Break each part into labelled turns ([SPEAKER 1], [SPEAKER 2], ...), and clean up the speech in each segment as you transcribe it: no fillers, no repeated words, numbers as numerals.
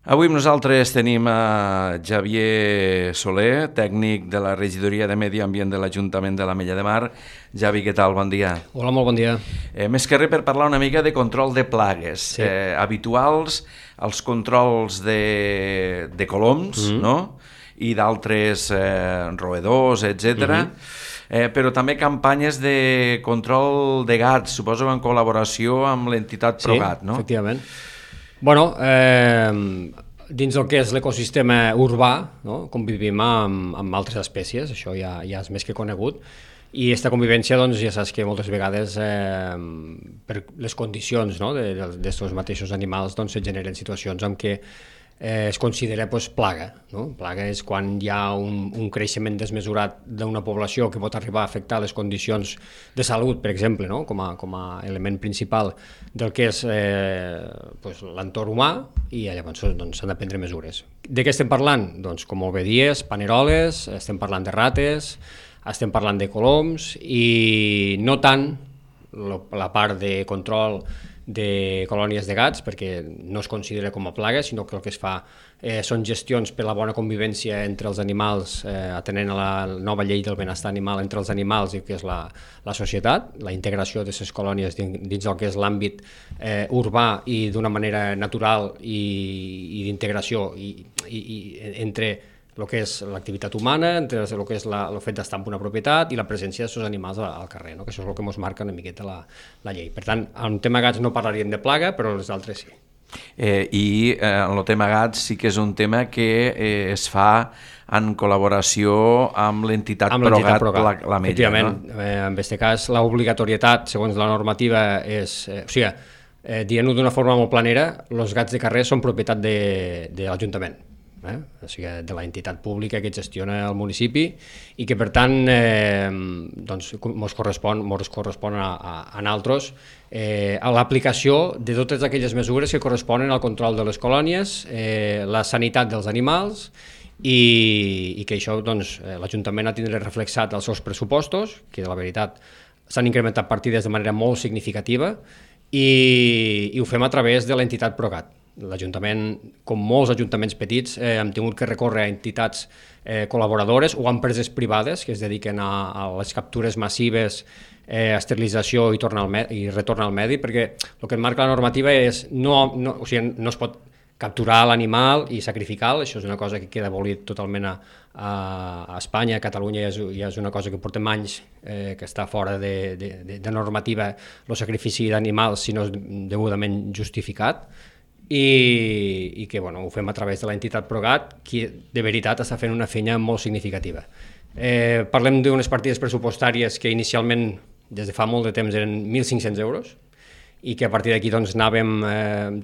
[SPEAKER 1] Avui amb nosaltres tenim a Javier Soler, tècnic de la Regidoria de Medi Ambient de l'Ajuntament de l'Ametlla de Mar. Javi, què tal? Bon dia.
[SPEAKER 2] Hola, molt bon dia.
[SPEAKER 1] Més que res per parlar una mica de control de plagues habituals, els controls de coloms, no? I d'altres roedors, etc. Però també campanyes de control de gats, suposo en col·laboració amb l'entitat ProGat, no?
[SPEAKER 2] Sí, efectivament. Bueno, dins del que és l'ecosistema urbà, no? Convivim amb altres espècies, això ja és més que conegut, i aquesta convivència, doncs, ja saps que moltes vegades per les condicions, no? d'estos mateixos animals doncs, se generen situacions en què es considera plaga. No? Plaga és quan hi ha un creixement desmesurat d'una població que pot arribar a afectar les condicions de salut, per exemple, no? com a element principal del que és l'entorn humà, i llavors doncs, s'han de prendre mesures. De què estem parlant? Doncs, com molt bé dies, paneroles, estem parlant de rates, estem parlant de coloms, i no tant la part de control de colònies de gats, perquè no es considera com a plaga, sinó que el que es fa són gestions per la bona convivència entre els animals, atenent a la nova llei del benestar animal entre els animals i que és la societat, la integració d'aquestes colònies dins el que és l'àmbit urbà i d'una manera natural i d'integració entre el que és l'activitat humana, entre el que és el fet d'estar en una propietat i la presència d'aquests animals al carrer, no? Que això és el que ens marca una miqueta la llei. Per tant, en el tema gats no parlaríem de plaga, però les altres sí.
[SPEAKER 1] I en el tema gats sí que és un tema que es fa en col·laboració amb l'entitat ProGat l'Ametlla.
[SPEAKER 2] Efectivament, no? En aquest cas l'obligatorietat, segons la normativa, és... dient-ho d'una forma molt planera, els gats de carrer són propietat de l'Ajuntament. O sigui, de l'entitat pública que gestiona el municipi i que per tant doncs, ens correspon a nosaltres a l'aplicació de totes aquelles mesures que corresponen al control de les colònies, la sanitat dels animals i que això doncs, l'Ajuntament ha de tindre reflexat als seus pressupostos, que la veritat s'han incrementat partides de manera molt significativa i ho fem a través de l'entitat ProGat. L'Ajuntament, com molts ajuntaments petits, hem tingut que recórrer a entitats col·laboradores o a empreses privades que es dediquen a les captures massives, esterilització i retorn al medi, perquè el que marca la normativa és no es pot capturar l'animal i sacrificar-lo, això és una cosa que queda abolit totalment a Espanya, a Catalunya ja és una cosa que portem anys que està fora de normativa, el sacrifici d'animals si no és degudament justificat, i que ho fem a través de l'entitat ProGat, que de veritat està fent una feina molt significativa. Parlem d'unes partides pressupostàries que inicialment, des de fa molt de temps, eren 1.500 euros i que a partir d'aquí anàvem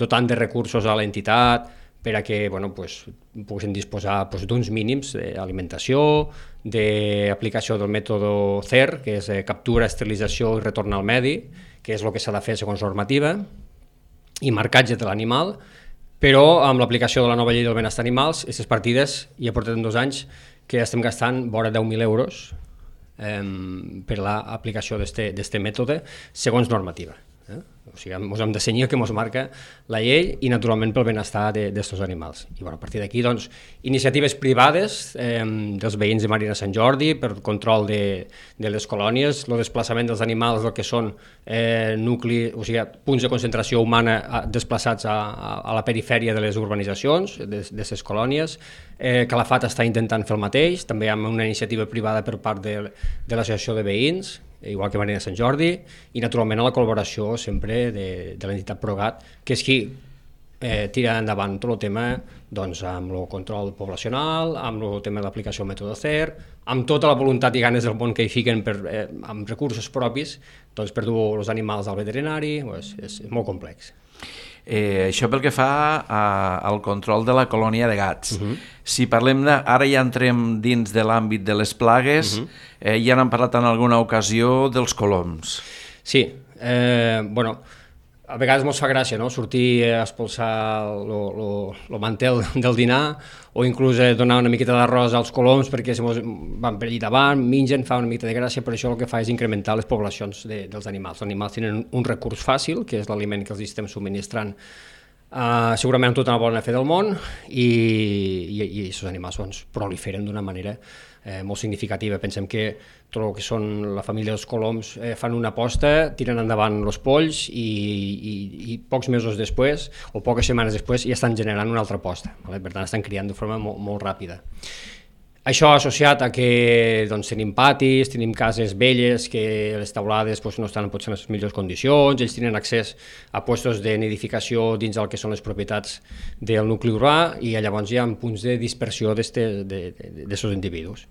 [SPEAKER 2] dotant de recursos a l'entitat per a que poguessin disposar d'uns mínims d'alimentació, d'aplicació del mètode CER, que és captura, esterilització i retorn al medi, que és el que s'ha de fer segons normativa, i marcatge de l'animal, però amb l'aplicació de la nova llei del benestar animals, aquestes partides ja portem 2 anys que estem gastant vora 10.000 euros per l'aplicació d'aquest mètode segons normativa. O sigui, ens hem de cenyir el que ens marca la llei i naturalment pel benestar d'aquests animals. I a partir d'aquí, iniciatives privades dels veïns de Marina Sant Jordi per control de les colònies, el desplaçament dels animals del que són punts de concentració humana desplaçats a la perifèria de les urbanitzacions, d'aquestes colònies. Calafat està intentant fer el mateix, també amb una iniciativa privada per part de l'associació de veïns, igual que Marina Sant Jordi, i naturalment a la col·laboració sempre de l'entitat ProGat, que és qui tira endavant tot el tema amb el control poblacional, amb el tema de l'aplicació del mètode CER, amb tota la voluntat i ganes del món que hi fiquen amb recursos propis per dur els animals al veterinari. És molt complex.
[SPEAKER 1] Això pel que fa al control de la colònia de gats. Si parlem ara ja entrem dins de l'àmbit de les plagues, ja n'hem parlat en alguna ocasió dels coloms.
[SPEAKER 2] Sí, a vegades ens fa gràcia, no?, sortir a expulsar el mantel del dinar o inclús donar una miqueta d'arròs als coloms perquè van per allà davant, mengen, fa una miqueta de gràcia, però això el que fa és incrementar les poblacions dels animals. Els animals tenen un recurs fàcil, que és l'aliment que els estem subministrant segurament amb tota la bona fe del món i aquests animals doncs, proliferen d'una manera molt significativa. Pensem que tot el que són la família dels coloms fan una aposta, tiren endavant els polls i pocs mesos després o poques setmanes després ja estan generant una altra aposta. Per tant, estan criant de forma molt ràpida. Això associat a que doncs, tenim patis, tenim cases velles, que les teulades doncs, no estan potser en les millors condicions, ells tenen accés a puestos de nidificació dins el que són les propietats del nucli urbà i llavors hi ha punts de dispersió d'aquests individus.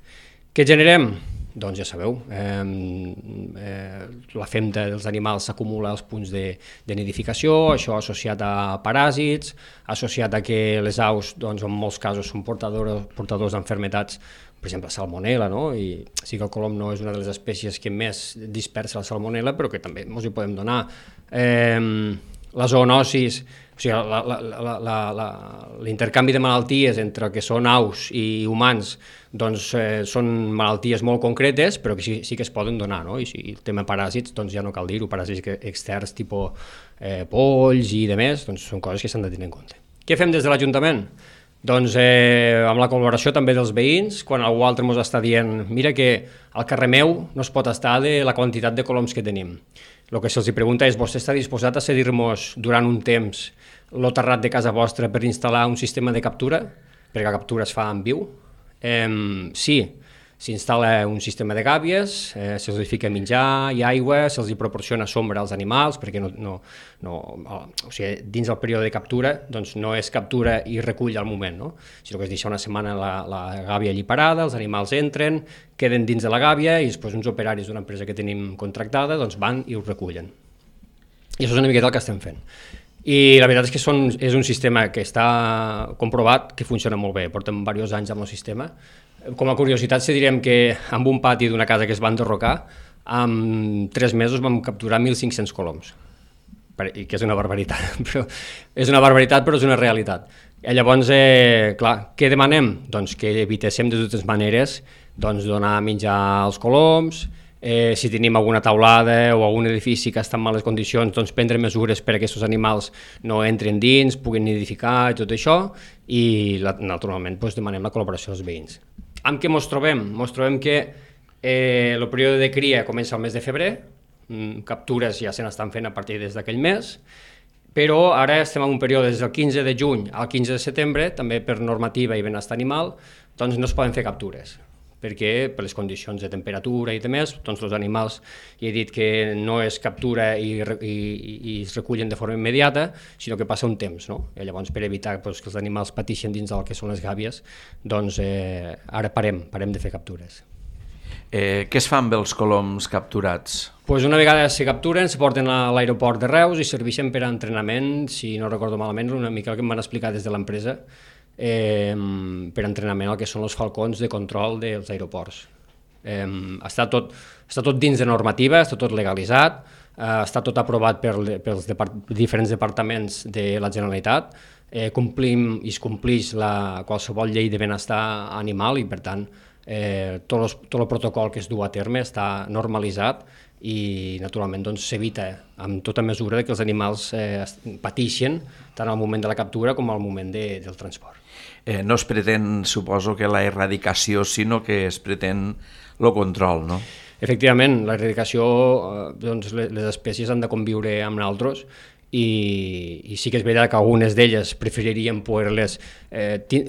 [SPEAKER 2] Què generem? Doncs ja sabeu, la femta dels animals s'acumula als punts de nidificació, això associat a paràsits, associat a que les aus doncs, en molts casos són portadors d'enfermetats, per exemple salmonella, no? I sí que el colom no és una de les espècies que més dispersa la salmonella, però que també ens hi podem donar. La zoonosis, o sigui, l'intercanvi de malalties entre el que són aus i humans doncs, són malalties molt concretes, però que sí que es poden donar, no? I el tema paràsits, doncs ja no cal dir-ho, paràsits externs, tipus polls i demés, doncs són coses que s'han de tenir en compte. Què fem des de l'Ajuntament? Doncs amb la col·laboració també dels veïns, quan algú altre ens està dient mira que al carrer meu no es pot estar de la quantitat de coloms que tenim. El que se'ls pregunta és, vostè està disposat a cedir-nos durant un temps el terrat de casa vostra per instal·lar un sistema de captura? Perquè la captura es fa en viu. Sí, s'instal·la un sistema de gàbies, se'ls fica menjar i aigua, se'ls proporciona sombra als animals, perquè o sigui, dins del període de captura doncs no és captura i recull al moment, no? Sinó que es deixa una setmana la gàbia allí parada, els animals entren, queden dins de la gàbia i després uns operaris d'una empresa que tenim contractada doncs van i ho recullen. I això és una miqueta el que estem fent. I la veritat és que és un sistema que està comprovat que funciona molt bé, portem diversos anys amb el sistema. Com a curiositat, si direm que amb un pati d'una casa que es va enderrocar, en 3 mesos vam capturar 1.500 coloms, i que és una barbaritat, però és una realitat. I llavors, clar, què demanem? Doncs que evitéssim de totes maneres donar menjar als coloms, si tenim alguna teulada o algun edifici que està en males condicions, doncs prendre mesures per a que aquests animals no entren dins, puguin nidificar i tot això, i naturalment demanem la col·laboració dels veïns. Amb què ens trobem? Ens trobem que el període de cria comença al mes de febrer, captures ja se n'estan fent a partir d'aquell mes, però ara estem en un període des del 15 de juny al 15 de setembre, també per normativa i benestar animal, doncs no es poden fer captures, perquè per les condicions de temperatura i demés, doncs els animals, ja he dit que no es captura i es recullen de forma immediata, sinó que passa un temps, no? I llavors per evitar que els animals pateixen dins del que són les gàbies, doncs ara parem de fer captures.
[SPEAKER 1] Què es fa amb els coloms capturats?
[SPEAKER 2] Una vegada se capturen, se porten a l'aeroport de Reus i serveixen per a entrenament, si no recordo malament, una mica el que em van explicar des de l'empresa, per entrenament el que són els falcons de control dels aeroports. Està tot dins de normativa, està tot legalitzat, està tot aprovat pels diferents departaments de la Generalitat, complim i es complix qualsevol llei de benestar animal i per tant tot el protocol que es du a terme està normalitzat i naturalment s'evita amb tota mesura que els animals pateixen tant al moment de la captura com al moment del transport.
[SPEAKER 1] No es pretén, suposo, que la erradicació, sinó que es pretén el control, no?
[SPEAKER 2] Efectivament, la erradicació, doncs les espècies han de conviure amb nosaltres i sí que és veritat que algunes d'elles preferiríem poder-les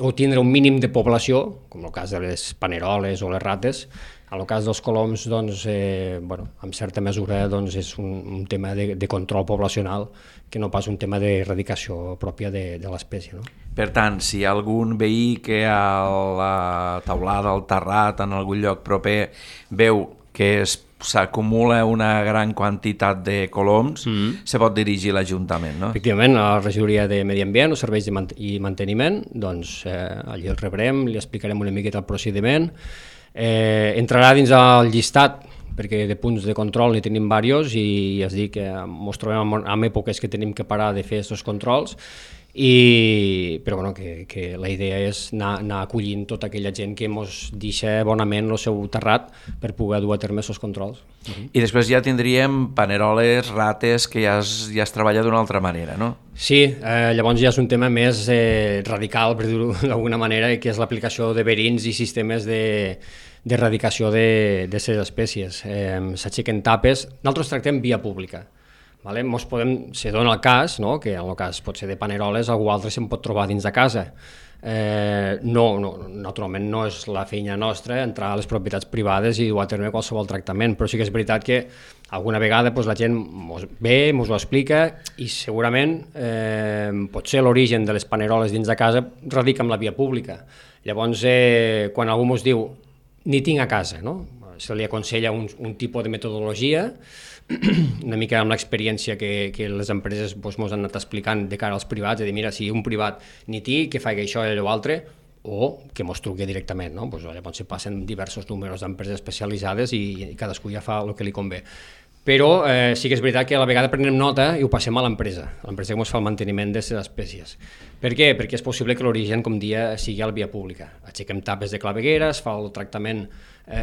[SPEAKER 2] o tindre un mínim de població, com el cas de les paneroles o les rates. En el cas dels coloms, doncs, en certa mesura és un tema de control poblacional que no pas un tema d'erradicació pròpia de l'espècie, no?
[SPEAKER 1] Per tant, si hi ha algun veí que a la teulada, al terrat, en algun lloc proper, veu que s'acumula una gran quantitat de coloms, se pot dirigir a l'Ajuntament, no?
[SPEAKER 2] Efectivament, a la regidoria de Medi Ambient o Serveis i Manteniment, doncs allí el rebrem, li explicarem una miqueta el procediment, entrarà dins el llistat perquè de punts de control n'hi tenim diversos i ja es dic que ens trobem en èpoques que tenim que parar de fer aquests controls però bueno, que la idea és anar acollint tota aquella gent que ens deixa bonament el seu terrat per poder dur a terme aquests controls.
[SPEAKER 1] I després ja tindríem paneroles, rates, que ja es treballa d'una altra manera, no?
[SPEAKER 2] Sí, llavors ja és un tema més radical, per dir-ho d'alguna manera, que és l'aplicació de verins i sistemes d'erradicació de les espècies. S'aixequen tapes, nosaltres tractem via pública. Vale? Se dona el cas, no? Que en el cas pot ser de paneroles, algú altre se'n pot trobar dins de casa. Naturalment no és la feina nostra entrar a les propietats privades i dur a terme qualsevol tractament, però sí que és veritat que alguna vegada la gent ve, ens ho explica i segurament potser l'origen de les paneroles dins de casa radica en la via pública. Llavors, quan algú ens diu ni tinc a casa, no? Se li aconsella un tipus de metodologia, una mica amb l'experiència que les empreses ens han anat explicant de cara als privats, de dir, mira, si un privat ni té, que faci això i allò altre, o que ens truqui directament, no? Llavors se passen diversos números d'empreses especialitzades i cadascú ja fa el que li convé. Però sí que és veritat que a la vegada prenem nota i ho passem a l'empresa que ens fa el manteniment de les espècies. Per què? Perquè és possible que l'origen, com dia, sigui a la via pública. Aixequem tapes de claveguera, es fa el tractament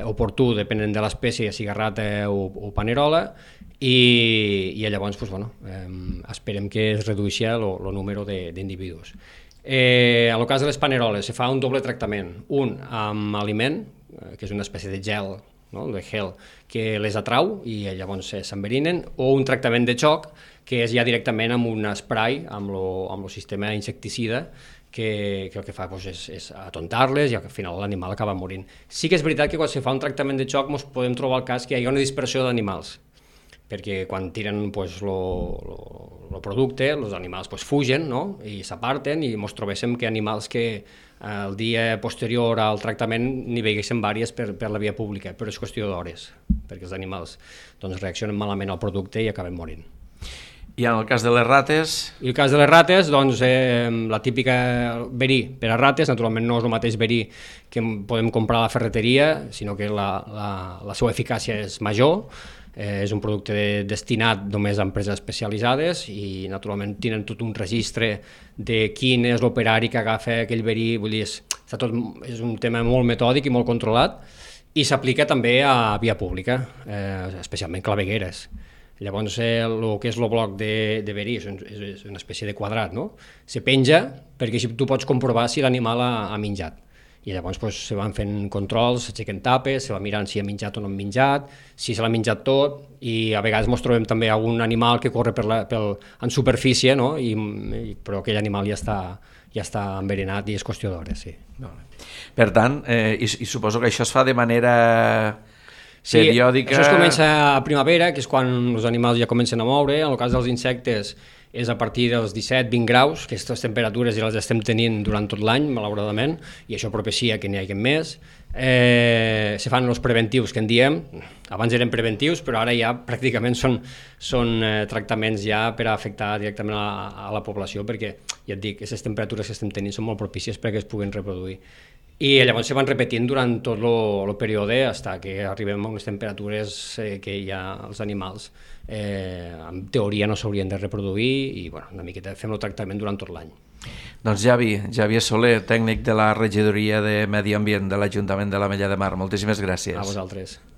[SPEAKER 2] oportú, depenent de l'espècie, sigui rata o panerola, i llavors esperem que es redueixi el número d'individus. En el cas de les paneroles, se fa un doble tractament, un amb aliment, que és una espècie de gel, no? De gel, que les atrau i llavors s'enverinen, o un tractament de xoc, que és ja directament amb un spray, amb el sistema insecticida, que el que fa és atontar-les i al final l'animal acaba morint. Sí que és veritat que quan se fa un tractament de xoc ens podem trobar el cas que hi ha una dispersió d'animals, perquè quan tiren el producte, els animals fugen, no? I s'aparten i ens trobéssim que animals que el dia posterior al tractament n'hi veiguessin vàries per la via pública, però és qüestió d'hores, perquè els animals reaccionen malament al producte i acaben morint.
[SPEAKER 1] I en el cas de les rates?
[SPEAKER 2] I el cas de les rates, la típica verí per a rates, naturalment no és el mateix verí que podem comprar a la ferreteria, sinó que la seva eficàcia és major, és un producte destinat només a empreses especialitzades i naturalment tenen tot un registre de quin és l'operari que agafa aquell verí, vull dir, és un tema molt metòdic i molt controlat i s'aplica també a via pública, especialment clavegueres. Llavors, el que és el bloc de verí és una espècie de quadrat, no? Se penja perquè així tu pots comprovar si l'animal ha menjat. I llavors se van fent controls, s'aixequen tapes, se va mirant si ha menjat o no ha menjat, si se l'ha menjat tot, i a vegades ens trobem també algun animal que corre en superfície, no? Però aquell animal ja està envenenat i és qüestió d'hores, sí.
[SPEAKER 1] Per tant, i suposo que això es fa de manera periòdica.
[SPEAKER 2] Sí, això es comença a primavera, que és quan els animals ja comencen a moure. En el cas dels insectes és a partir dels 17-20 graus, que aquestes temperatures ja les estem tenint durant tot l'any, malauradament, i això propicia que n'hi hagi més. Se fan els preventius, que en diem, abans eren preventius, però ara ja pràcticament són tractaments ja per a afectar directament a la població, perquè, ja et dic, aquestes temperatures que estem tenint són molt propícies perquè es puguin reproduir. I llavors se van repetint durant tot el període fins que arribem a unes temperatures que ja els animals en teoria no s'haurien de reproduir i una miqueta fem el tractament durant tot l'any.
[SPEAKER 1] Doncs Javier Soler, tècnic de la Regidoria de Medi Ambient de l'Ajuntament de l'Ametlla de Mar, moltíssimes gràcies.
[SPEAKER 2] A vosaltres.